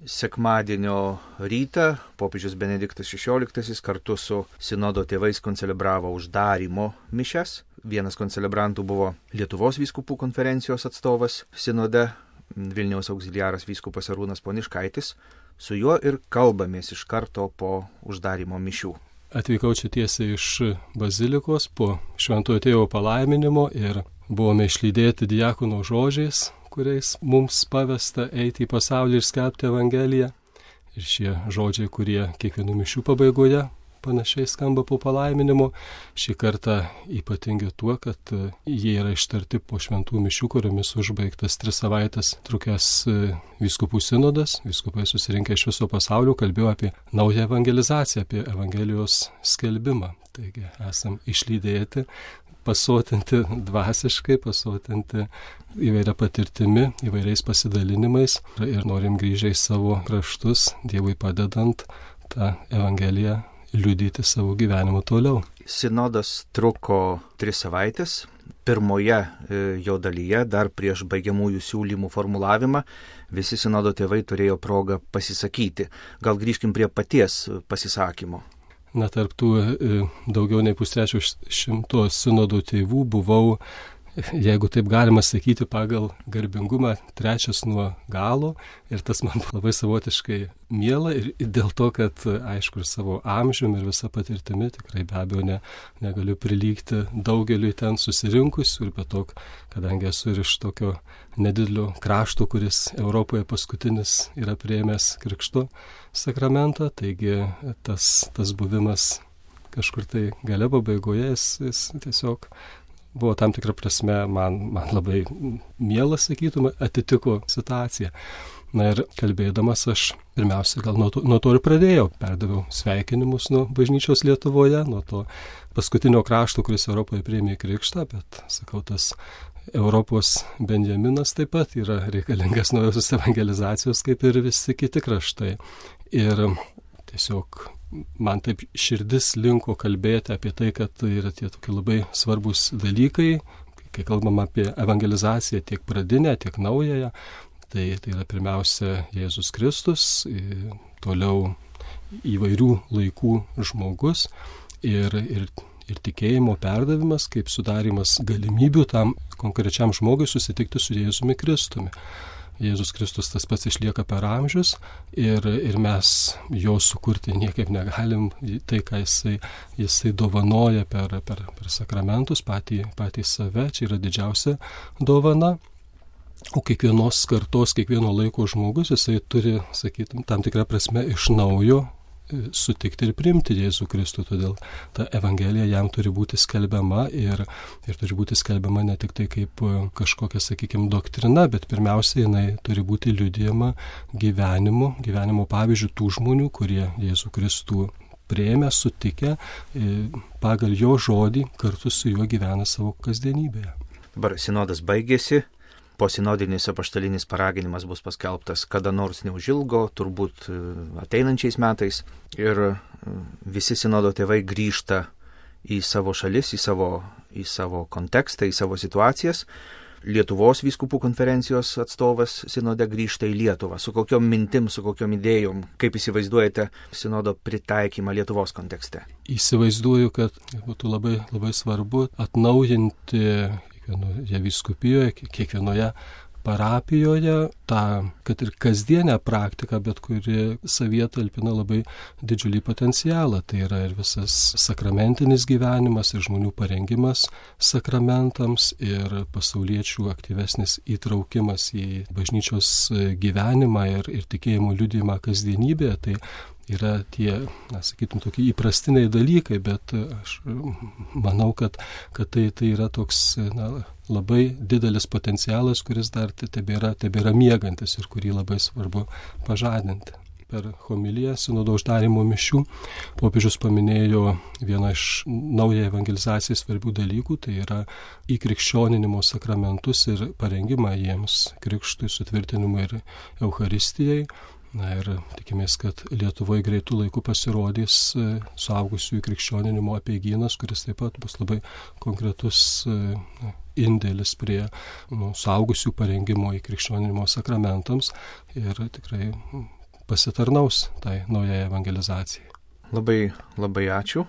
Sekmadienio rytą popiežius Benediktas XVI kartu su sinodo tėvais koncelebravo uždarymo mišias. Vienas koncelebrantų buvo Lietuvos vyskupų konferencijos atstovas sinode, Vilniaus auxiliaras vyskupas Arūnas Poniškaitis. Su juo ir kalbamės iš karto po uždarymo mišių. Atvykau čia tiesiai iš bazilikos po šventojo tėvo palaiminimo ir buvome išlydėti diakono žodžiais, kuriais mums pavesta eiti į pasaulį ir skelbti Evangeliją. Ir šie žodžiai, kurie kiekvienų mišių pabaigoje panašiai skamba po palaiminimo, šį kartą ypatingi tuo, kad jie yra ištarti po šventų mišių, kuriomis užbaigtas 3 savaitės trukęs vyskupų sinodas. Vyskupai susirinkę iš viso pasaulio kalbėjo apie naują evangelizaciją, apie Evangelijos skelbimą. Taigi esam išlydėti, pasotinti dvasiškai, pasotinti įvairia patirtimi, įvairiais pasidalinimais ir norim grįžę į savo kraštus, Dievui padedant tą Evangeliją liudyti savo gyvenimu toliau. Sinodas truko 3 savaitės. Pirmoje jo dalyje, dar prieš baigiamųjų siūlymų formulavimą, visi sinodo tėvai turėjo progą pasisakyti. Gal grįžkim prie paties pasisakymo. Na, tarptų daugiau nei 300 sinodų tėvų buvau, jeigu taip galima sakyti, pagal garbingumą 3 nuo galo. Ir tas man labai savotiškai miela ir dėl to, kad aišku ir savo amžiumi ir visa patirtimi tikrai be abejo negaliu prilygti daugeliui ten susirinkusių ir be to, kadangi esu ir iš tokio nedidelio krašto, kuris Europoje paskutinis yra priėmęs krikšto sakramentą, taigi tas buvimas kažkur tai gale pabaigoje, jis tiesiog buvo tam tikrą prasme man labai mielas, sakytume, atitiko situaciją. Na ir kalbėdamas aš pirmiausia gal nuo to ir pradėjau, perdaviau sveikinimus nuo bažnyčios Lietuvoje, nuo to paskutinio krašto, kuris Europoje priėmė krikštą, bet sakau, tas Europos Benjaminas taip pat yra reikalingas naujosios evangelizacijos, kaip ir visi kiti kraštai. Ir tiesiog man taip širdis linko kalbėti apie tai, kad tai yra tie tokie labai svarbus dalykai, kai kalbam apie evangelizaciją tiek pradinę, tiek naująją. Tai yra pirmiausia Jėzus Kristus, toliau įvairių laikų žmogus ir tikėjimo perdavimas, kaip sudarimas galimybių tam konkrečiam žmogui susitikti su Jėzumi Kristumi. Jėzus Kristus tas pats išlieka per amžius ir mes jo sukurti niekaip negalim. Tai, ką jisai dovanoja per sakramentus, patį save, čia yra didžiausia dovana. O kiekvienos kartos, kiekvieno laiko žmogus, jisai turi, sakytum, tam tikrą prasme iš naujo sutikti ir priimti Jėzų Kristų, todėl ta Evangelija jam turi būti skelbiama ir turi būti skelbiama ne tik tai kaip kažkokia, sakykime, doktrina, bet pirmiausia, jinai turi būti liudijama gyvenimo pavyzdžių tų žmonių, kurie Jėzų Kristų priėmė, sutikę, pagal jo žodį kartu su juo gyvena savo kasdienybėje. Dabar sinodas baigėsi. Posinodinis apaštalinis paraginimas bus paskelbtas kada nors neužilgo, turbūt ateinančiais metais. Ir visi sinodo tėvai grįžta į savo šalis, į savo kontekstą, į savo situacijas. Lietuvos vyskupų konferencijos atstovas sinode grįžta į Lietuvą. Su kokiom mintim, su kokiom idėjom, kaip įsivaizduojate sinodo pritaikymą Lietuvos kontekste? Įsivaizduoju, kad būtų labai, labai svarbu atnaujinti kiekvienoje vyskupijoje, kiekvienoje parapijoje tą, kad ir kasdienę praktiką, bet kuri savyje talpina labai didžiulį potencialą. Tai yra ir visas sakramentinis gyvenimas, ir žmonių parengimas sakramentams, ir pasauliečių aktyvesnis įtraukimas į bažnyčios gyvenimą ir tikėjimo liudijimą kasdienybėje. Tai yra tie, sakytum, tokie įprastiniai dalykai, bet aš manau, kad tai yra toks labai didelis potencialas, kuris dar tebėra miegantis ir kurį labai svarbu pažadinti. Per homiliją sinodo uždarymo mišių popiežius paminėjo vieną iš naujai evangelizacijai svarbių dalykų, tai yra įkrikščioninimo sakramentus ir parengimą jiems krikštui, sutvirtinimui ir Eucharistijai. Na ir tikimės, kad Lietuvoje greitų laikų pasirodys suaugusiųjų krikščioninimo apeigynas, kuris taip pat bus labai konkretus indėlis prie suaugusių parengimo į krikščioninimo sakramentams ir tikrai pasitarnaus tai naujai evangelizacijai. Labai, labai ačiū.